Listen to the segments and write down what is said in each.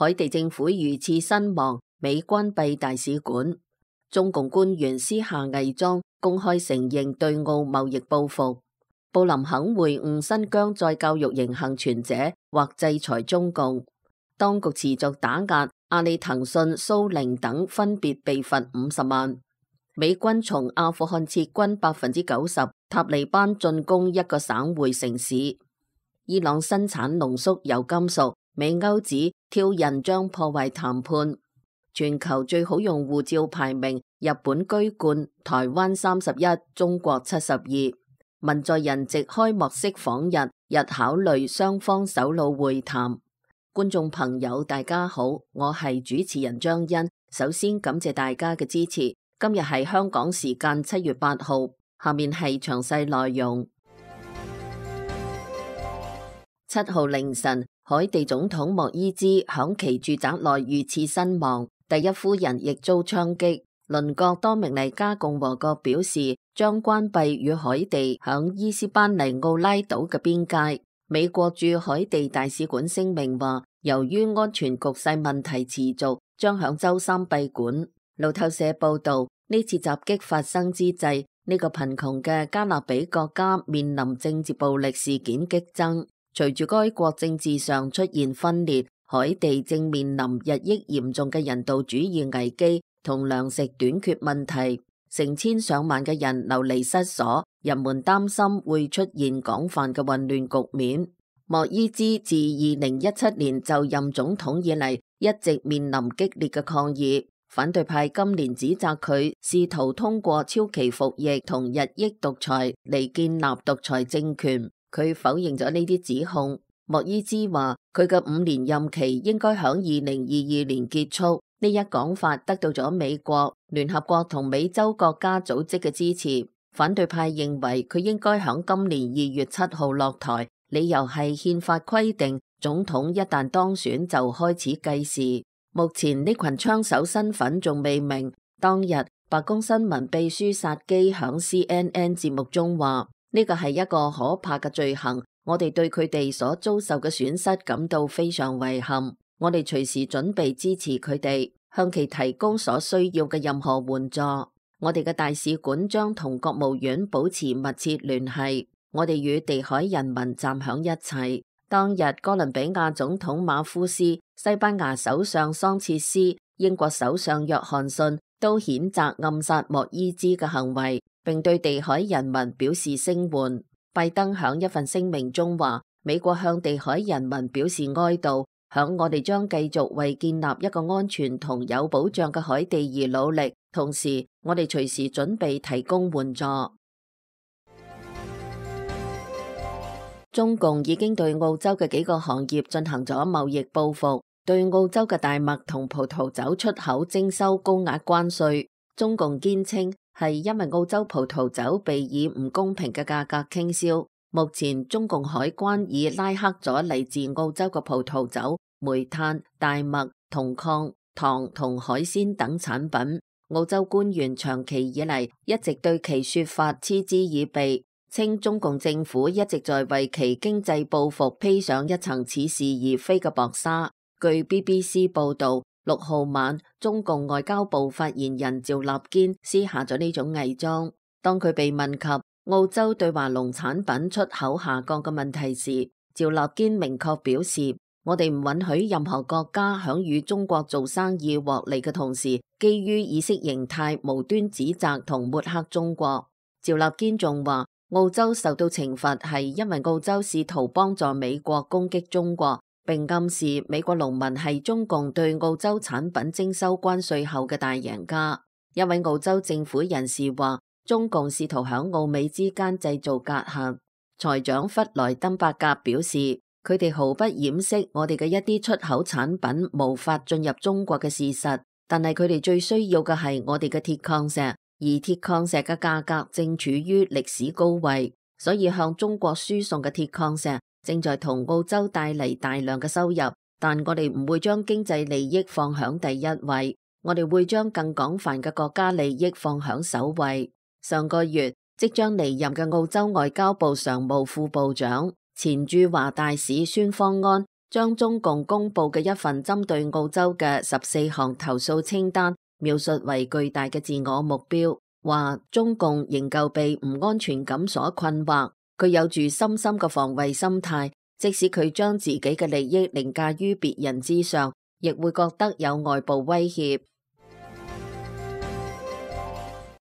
海地政府遇刺身亡，美關閉大使館。中共官員私下偽裝，公開承認對澳貿易報復。布林肯會晤新疆再教育營幸存者，或制裁中共。當局持續打壓，阿里、騰訊、蘇寧等分別被罰50萬。美軍從阿富汗撤軍90%，塔利班進攻一個省會城市。伊朗生產濃縮鈾金屬，美歐指挑釁將破壞談判。全球最好用護照排名，日本居冠，台灣31，中國72。文在寅藉開幕式訪日，日考慮雙方首腦會談。觀眾朋友大家好，我係主持人張欣，首先感謝大家嘅支持。今日係香港時間7月8號，下面係詳細內容。7號凌晨，海地總統莫伊茲響其住宅內遇刺身亡。第一夫人亦遭槍擊。鄰國多明尼加共和國表示將關閉與海地響伊斯班尼奧拉島嘅邊界。美國駐海地大使館聲明話，由於安全局勢問題持續，將響周三閉館。路透社報道，呢次襲擊發生之際，呢個貧窮嘅加勒比國家面臨政治暴力事件激增。隨住該國政治上出現分裂，海地正面臨日益嚴重嘅人道主義危機同糧食短缺問題，成千上萬嘅人流離失所，人們擔心會出現廣泛嘅混亂局面。莫伊茲自2017年就任總統以嚟，一直面臨激烈嘅抗議。反對派今年指責佢試圖通過超期服役同日益獨裁嚟建立獨裁政權，佢否認咗呢啲指控。莫伊茲話佢嘅5年任期應該響2022年結束，呢一講法得到咗美國、聯合國同美洲國家組織嘅支持。反對派認為佢應該響今年2月7號落台，理由係憲法規定總統一旦當選就開始計時。目前呢群槍手身份仲未明。當日白宮新聞秘書薩基響 CNN 節目中話，呢個係一個可怕嘅罪行，我哋對佢哋所遭受嘅損失感到非常遺憾。我哋隨時準備支持佢哋，向其提供所需要嘅任何援助。我哋嘅大使館將同國務院保持密切聯繫。我哋與地海人民站響一齊。當日哥倫比亞總統馬夫斯、西班牙首相桑切斯、英國首相約翰遜都譴責暗殺莫伊茲嘅行為，並對地海人民表示聲援。拜登響一份聲明中話，美國向地海人民表示哀悼，響我哋將繼續為建立一個安全同有保障嘅海地而努力，同時我哋隨時準備提供援助。中共已經對澳洲嘅幾個行業進行咗貿易報復，對澳洲嘅大麥同葡萄酒出口徵收高額關稅。中共堅稱係因為澳洲葡萄酒被以唔公平嘅價格傾銷。目前中共海關已拉黑咗嚟自澳洲嘅葡萄酒、煤炭、大麥、銅礦、糖同海鮮等產品。澳洲官員長期以嚟一直對其說法嗤之以鼻，稱中共政府一直在為其經濟報復披上一層似是而非嘅薄紗。據 BBC 報道，6號晚，中共外交部發言人趙立堅撕下咗呢種偽裝。當佢被問及澳洲對華農產品出口下降嘅問題時，趙立堅明確表示，我哋唔允許任何國家響與中國做生意獲利嘅同時，基於意識形態無端指責同抹黑中國。趙立堅仲話，澳洲受到懲罰係因為澳洲試圖幫助美國攻擊中國，並暗示美國農民係中共對澳洲產品徵收關稅後嘅大贏家。一位澳洲政府人士話，中共試圖響澳美之間製造隔閡。財長弗萊登伯格表示，佢哋毫不掩飾我哋嘅一啲出口產品無法進入中國嘅事實，但係佢哋最需要嘅係我哋嘅鐵礦石。而鐵礦石嘅價格正處於歷史高位，所以向中國輸送嘅鐵礦石正在同澳洲帶嚟大量嘅收入。但我哋唔會將經濟利益放響第一位，我哋會將更廣泛嘅國家利益放響首位。上個月，即將離任嘅澳洲外交部常務副部長、前駐華大使孫方安將中共公布嘅一份針對澳洲嘅14項投訴清單描述為巨大嘅自我目標，話中共仍舊被唔安全感所困惑，佢有住深深嘅防衛心態，即使佢將自己嘅利益凌駕於別人之上，亦會覺得有外部威脅。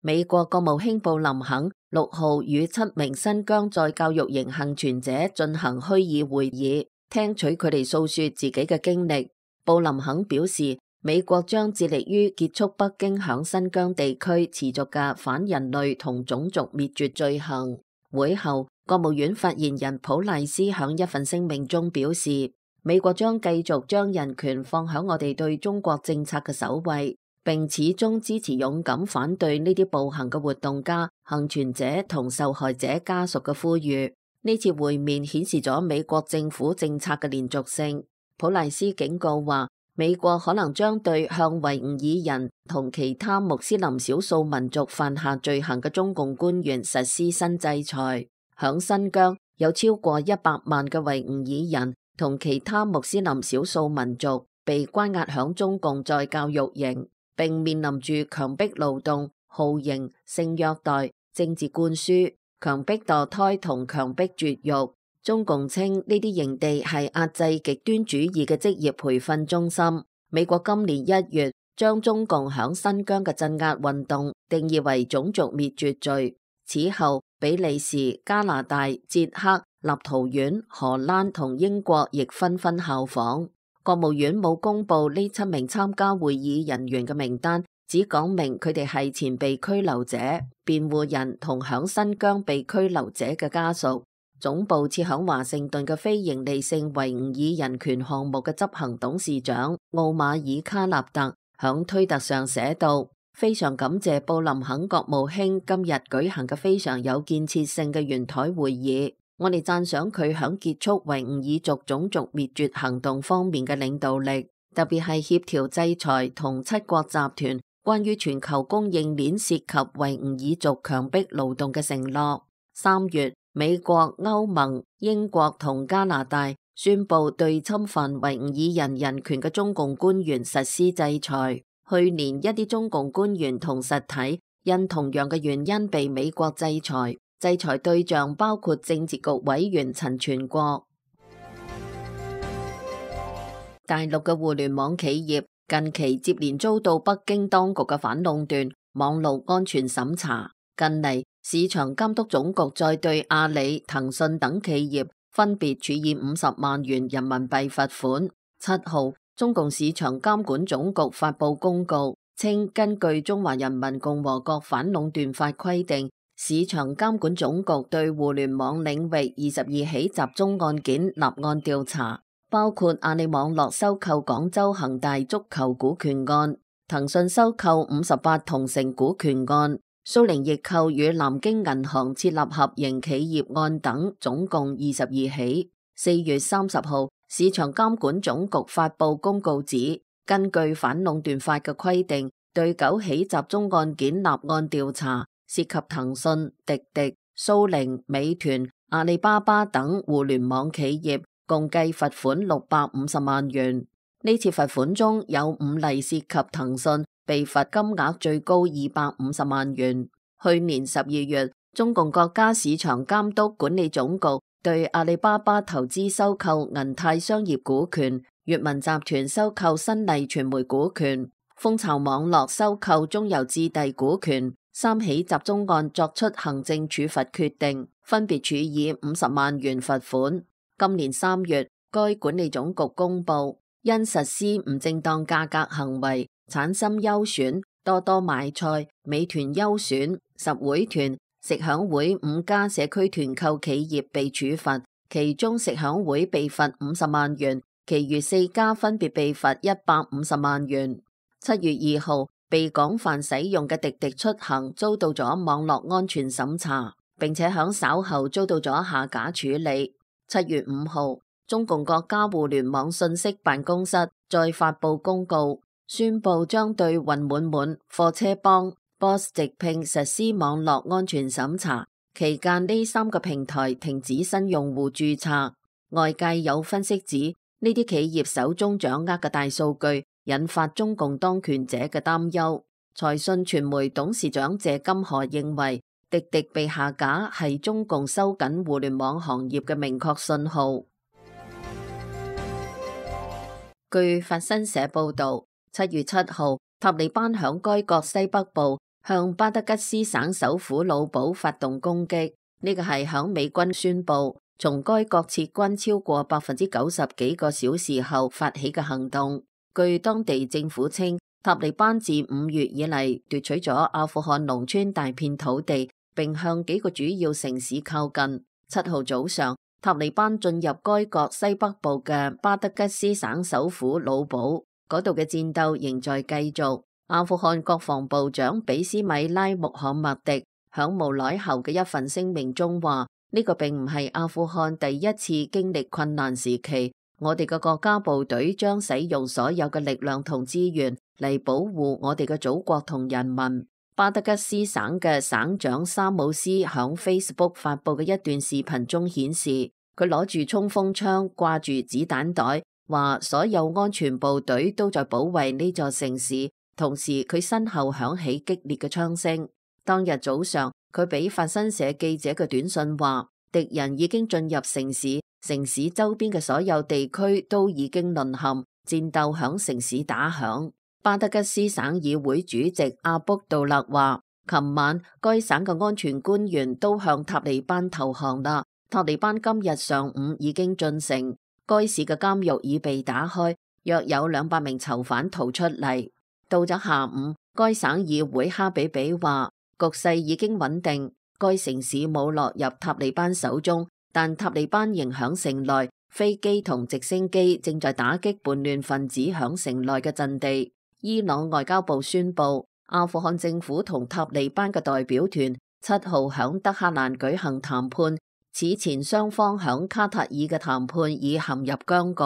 美國國務卿布林肯6號與7名新疆再教育營幸存者進行虛擬會議，聽取佢哋訴說自己嘅經歷。布林肯表示，美國將致力於結束北京響新疆地區持續嘅反人類同種族滅絕罪行。會後，國務院發言人普賴斯響一份聲明中表示，美國將繼續將人權放響我哋對中國政策嘅首位，並始終支持勇敢反對呢啲暴行嘅活動家、幸存者同受害者家屬嘅呼籲。呢次會面顯示咗美國政府政策嘅連續性。普賴斯警告話，美國可能將對向維吾爾人同其他穆斯林少數民族犯下罪行嘅中共官員實施新制裁。響新疆有超過100萬嘅維吾爾人同其他穆斯林少數民族被關押響中共再教育營，並面臨住強迫勞動、酷刑、性虐待、政治灌輸、強迫墮胎同強迫絕育。中共稱呢啲營地係壓制極端主義嘅職業培訓中心。美國今年1月將中共響新疆嘅鎮壓運動定義為種族滅絕罪。此後，比利時、加拿大、捷克、立陶宛、荷蘭同英國亦紛紛效仿。國務院冇公布呢7名參加會議人員嘅名單，只講明佢哋係前被拘留者、辯護人同響新疆被拘留者嘅家屬。總部設響華盛頓嘅非營利性維吾爾人權項目嘅執行董事長奧馬爾卡納特響推特上寫道，非常感謝布林肯國務卿今日舉行嘅非常有建設性嘅圓台會議。我哋讚賞佢響結束維吾爾族種族滅絕行動方面嘅領導力，特別係協調制裁同7國集團關於全球供應鏈涉及維吾爾族強迫勞動嘅承諾。3月，美國、歐盟、英國同加拿大宣布對侵犯維吾爾人人權嘅中共官員實施制裁。去年，一啲中共官員同實體因同樣嘅原因被美國制裁。制裁對象包括政治局委員陳全國。大陸嘅互聯網企業近期接連遭到北京當局嘅反壟斷、網絡安全審查。近嚟，市場監督總局再對阿里、騰訊等企業分別處以50萬元人民幣罰款。7號，中共市場監管總局發佈公告，稱根據《中華人民共和國反壟斷法》規定，市場監管總局對互聯網領域22起集中案件立案調查，包括阿里網絡收購廣州恒大足球股權案、騰訊收購58同城股權案、蘇寧易購與南京銀行設立合營企業案等，總共22起。4月30號，市場監管總局發佈公告指，根據反壟斷法嘅規定，對9起集中案件立案調查。涉及騰訊、滴滴、蘇寧、美團、阿里巴巴等互聯網企業，共計罰款650萬元。呢次罰款中有5例涉及騰訊，被罰金額最高250萬元。去年12月，中共國家市場監督管理總局對阿里巴巴投資收購銀泰商業股權、閱文集團收購新麗傳媒股權、蜂巢網絡收購中郵置地股權3起集中案作出行政處罰決定，分別處以50萬元罰款。今年3月，該管理總局公布，因實施唔正當價格行為，產生優選、多多買菜、美團優選、實惠團、食享會5家社區團購企業被處罰，其中食享會被罰50萬元，其餘4家分別被罰150萬元。7月2號，被廣泛使用嘅滴滴出行遭到咗網絡安全審查，並且響稍後遭到咗下架處理。7月5號，中共國家互聯網信息辦公室再發佈公告，宣布將對雲滿滿、貨車幫、Boss 直聘實施網絡安全審查，期間呢3個平台停止新用戶註冊。外界有分析指，呢啲企業手中掌握嘅大數據引發中共當權者嘅擔憂。財訊傳媒董事長謝金河認為，滴滴被下架係中共收緊互聯網行業嘅明確信號。據法新社報導，7月7號，塔利班響該國西北部向巴德吉斯省首府魯堡發動攻擊。呢個係響美軍宣布從該國撤軍超過90%幾個小時後發起嘅行動。據當地政府稱，塔利班自5月以嚟奪取咗阿富汗農村大片土地，並向幾個主要城市靠近。7號早上，塔利班進入該國西北部嘅巴德吉斯省首府魯堡，嗰度嘅戰鬥仍在繼續。阿富汗國防部長比斯米拉穆罕默迪響無耐後嘅一份聲明中話：呢個並唔係阿富汗第一次經歷困難時期，我哋嘅國家部隊將使用所有嘅力量同資源嚟保護我哋嘅祖國同人民。巴德吉斯省嘅省長沙姆斯響 Facebook 發佈嘅一段視頻中顯示，佢攞住衝鋒槍，掛住子彈袋，話所有安全部隊都在保衛呢座城市。同時，佢身後響起激烈嘅槍聲。當日早上，佢俾法新社記者嘅短信話，敵人已經進入城市，城市周邊嘅所有地區都已經淪陷，戰鬥響城市打響。巴德吉斯省議會主席阿卜杜勒話，琴晚該省嘅安全官員都向塔利班投降啦。塔利班今日上午已經進城，該市嘅監獄已被打開，約有200名囚犯逃出嚟。到咗下午，該省議會哈比比話，局勢已經穩定，該城市冇落入塔利班手中，但塔利班仍響城內，飛機同直升機正在打擊叛亂分子響城內嘅陣地。伊朗外交部宣布，阿富汗政府同塔利班嘅代表團7號響德黑蘭舉行談判，此前雙方響卡塔爾嘅談判已陷入僵局。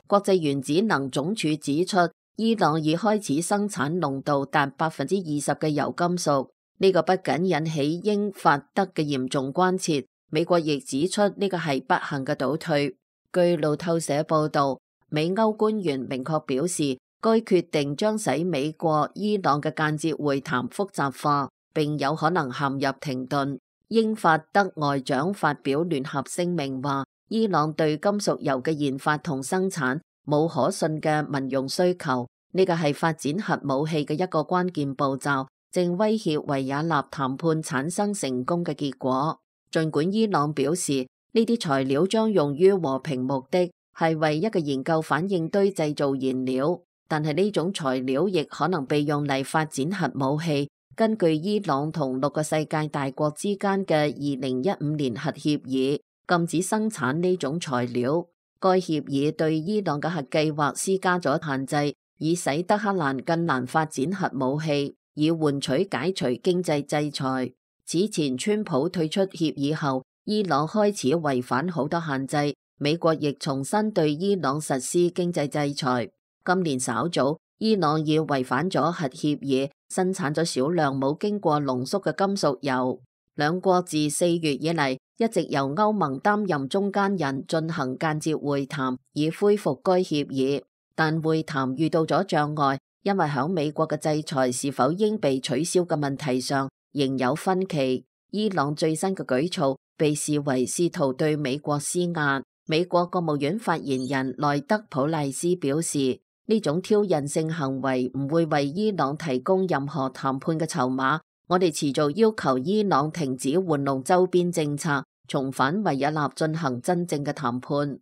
國際原子能總署指出，伊朗已開始生產濃度達20%嘅鈾金屬，呢個不僅引起英法德嘅嚴重關切，美國亦指出呢個係不幸嘅倒退。據路透社報道，美歐官員明確表示，該決定將使美國伊朗嘅間接會談複雜化，並有可能陷入停頓。英法德外長發表聯合聲明話，伊朗對金屬鈾嘅研發同生產冇可信嘅民用需求，呢個係發展核武器嘅一個關鍵步驟，正威脅維也納談判產生成功嘅結果。儘管伊朗表示呢啲材料將用於和平目的，係為一個研究反應堆製造燃料，但係呢種材料亦可能被用嚟發展核武器。根據伊朗同6個世界大國之間嘅2015年核協議，禁止生產呢種材料。該協議對伊朗嘅核計劃施加咗限制，以使德黑蘭更難發展核武器，以換取解除經濟制裁。此前川普退出協議後，伊朗開始違反好多限制，美國亦重新對伊朗實施經濟制裁。今年稍早，伊朗已違反咗核協議，生產咗少量冇經過濃縮嘅金屬鈾。兩國自4月以嚟一直由歐盟擔任中間人進行間接會談，以恢復該協議，但會談遇到咗障礙，因為響美國嘅制裁是否應被取消嘅問題上仍有分歧。伊朗最新嘅舉措被視為試圖對美國施壓。美國國務院發言人內德普賴斯表示，呢種挑釁性行為唔會為伊朗提供任何談判嘅籌碼。我哋持續要求伊朗停止玩弄周邊政策，重返維也納進行真正嘅談判。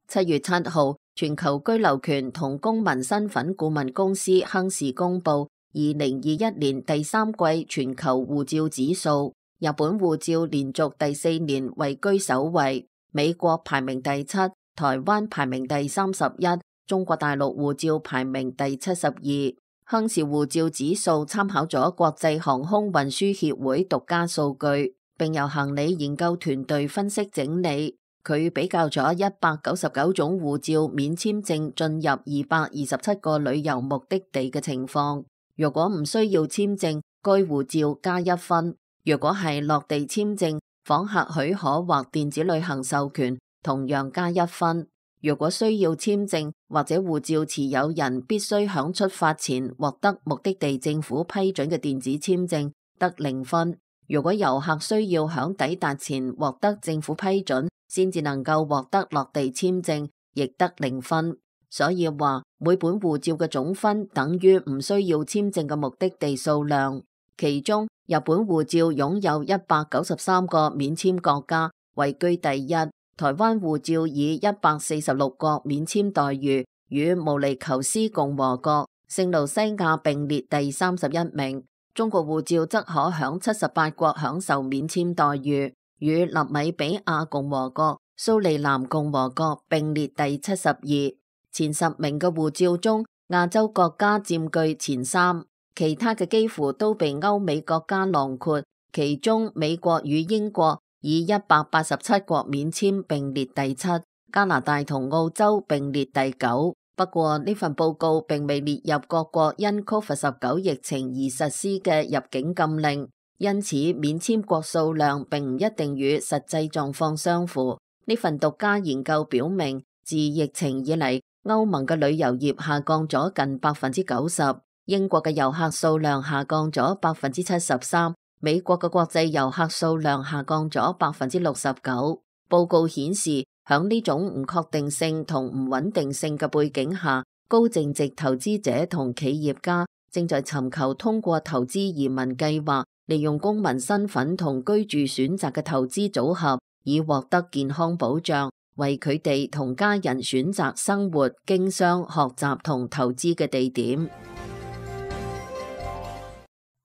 7月7號，全球居留權同公民身份顧問公司亨氏公布2021年第3季全球護照指數，日本護照連續第4年位居首位，美國排名第7，台灣排名第31。中國大陸護照排名第72，亨氏護照指數參考咗國際航空運輸協會獨家數據，並由行李研究團隊分析整理。佢比較咗199種護照免簽證進入227個旅遊目的地嘅情況。如果唔需要簽證，該護照加1分。若果係落地簽證、訪客許可或電子旅行授權，同樣加1分。若果需要簽證或者護照持有人必須響出發前獲得目的地政府批准嘅電子簽證，得0分。如果遊客需要響抵達前獲得政府批准，先至能夠獲得落地簽證，亦得0分。所以話每本護照嘅總分等於唔需要簽證嘅目的地數量。其中日本護照擁有193個免簽國家，位居第一。台灣護照以146個免簽待遇，與毛尼求斯共和國、聖盧西亞並列第31名。中國護照則可響78國享受免簽待遇，與納米比亞共和國、蘇利南共和國並列第72。前10名嘅護照中，亞洲國家佔據前3，其他嘅幾乎都被歐美國家囊括，其中美國與英國以187國免簽並列第7，加拿大同澳洲並列第9。不過呢份報告並未列入各國因 COVID-19 疫情而實施嘅入境禁令，因此免簽國數量並唔一定與實際狀況相符。呢份獨家研究表明，自疫情以嚟，歐盟嘅旅遊業下降咗近90%，英國嘅遊客數量下降咗73%，美國嘅國際遊客數量下降咗69%。報告顯示，響呢種唔確定性同唔穩定性嘅背景下，高淨值投資者同企業家正在尋求通過投資移民計劃，利用公民身份同居住選擇嘅投資組合，以獲得健康保障，為佢哋同家人選擇生活、經商、學習同投資嘅地點。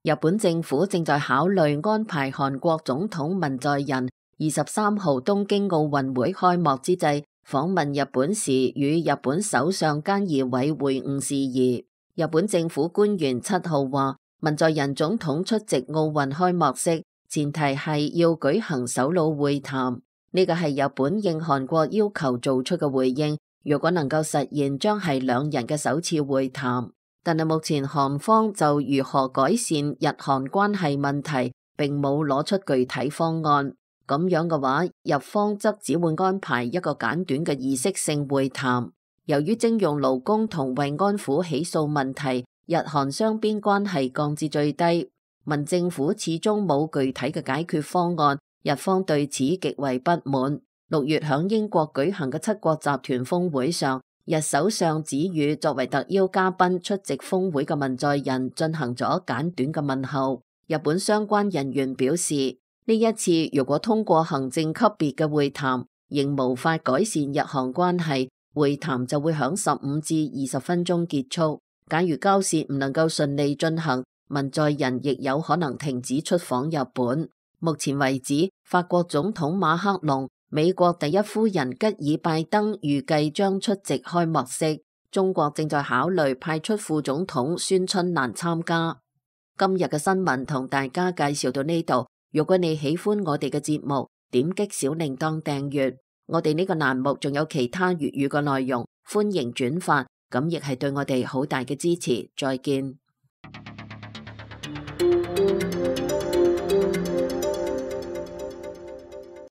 日本政府正在考慮安排韓國總統文在寅23號東京奧運會開幕之際訪問日本時，與日本首相菅義偉會晤事宜。日本政府官員7號話，文在寅總統出席奧運開幕式，前提係要舉行首腦會談。呢個係日本應韓國要求做出嘅回應，如果能夠實現，將係兩人嘅首次會談。但係目前韓方就如何改善日韓關係問題，並冇攞出具體方案。咁樣嘅話，日方則只會安排一個簡短嘅儀式性會談。由於徵用勞工同慰安婦起訴問題，日韓雙邊關係降至最低。文政府始終冇具體嘅解決方案，日方對此極為不滿。6月響英國舉行嘅7國集團峰會上，日首相子宇作為特邀嘉賓出席峰會嘅文在寅進行咗簡短嘅問候。日本相關人員表示，呢一次如果通過行政級別嘅會談，仍無法改善日韓關係，會談就會響15至20分鐘結束。假如交涉唔能夠順利進行，文在寅亦有可能停止出訪日本。目前為止，法國總統馬克龍、美國第一夫人吉爾拜登預計將出席開幕式。中國正在考慮派出副總統孫春蘭參加。今日嘅新聞同大家介紹到呢度。如果你喜歡我哋嘅節目，點擊小鈴鐺訂閱。我哋呢個欄目仲有其他粵語嘅內容，歡迎轉發，咁亦係對我哋好大嘅支持。再見。